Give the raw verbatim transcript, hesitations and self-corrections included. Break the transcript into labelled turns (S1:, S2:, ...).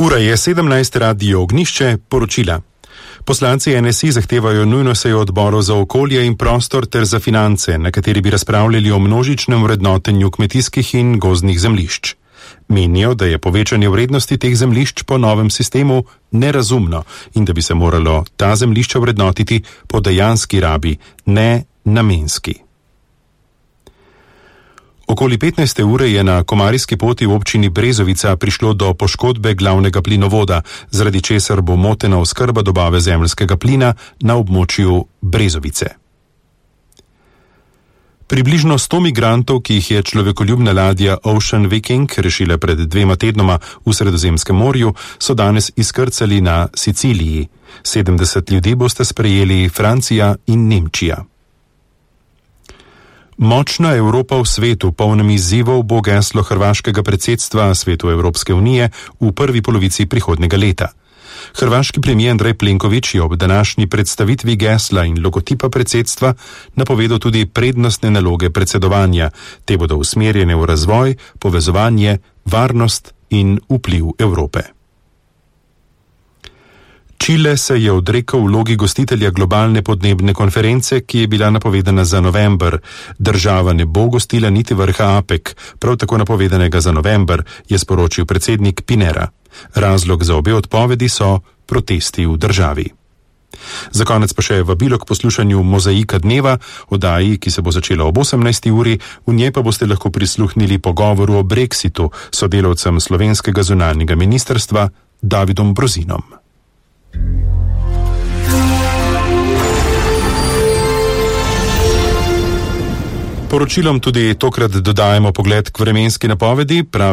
S1: Ura je sedemnajst, Radio Ognjišče, poročila. Poslanci N S I zahtevajo nujno sejo odborov za okolje in prostor ter za finance, na kateri bi razpravljali o množičnem vrednotenju kmetijskih in gozdnih zemljišč. Menijo, da je povečanje vrednosti teh zemljišč po novem sistemu nerazumno in da bi se moralo ta zemljišča vrednotiti po dejanski rabi, ne namenski. Okoli petnajste ure je na Komarijski poti v občini Brezovica prišlo do poškodbe glavnega plinovoda, zaradi česar bo motena oskrba dobave zemeljskega plina na območju Brezovice. Približno sto migrantov, ki jih je človekoljubna ladja Ocean Viking rešila pred dvema tednoma v Sredozemskem morju, so danes izkrcali na Siciliji. sedemdeset ljudi boste sprejeli Francija in Nemčija. Močna Evropa v svetu, polnem izzivov, bo geslo hrvaškega predsedstva Svetu Evropske unije v prvi polovici prihodnjega leta. Hrvaški premijer Andrej Plenković je ob današnji predstavitvi gesla in logotipa predsedstva napovedal tudi prednostne naloge predsedovanja. Te bodo usmerjene v razvoj, povezovanje, varnost in vpliv Evrope. Čile se je odrekel vlogi gostitelja globalne podnebne konference, ki je bila napovedana za november. Država ne bo gostila niti vrha APEC, prav tako napovedanega za november, je sporočil predsednik Pinera. Razlog za obe odpovedi so protesti v državi. Za konec pa še vabilo k poslušanju Mozaika dneva, oddaji, ki se bo začela ob osemnajsti uri, v njej pa boste lahko prisluhnili pogovoru o Brexitu s sodelavcem slovenskega zunanjega ministrstva Davidom Brozinom. Poročilom tudi tokrat dodajemo pogled k vremenski napovedi, pravi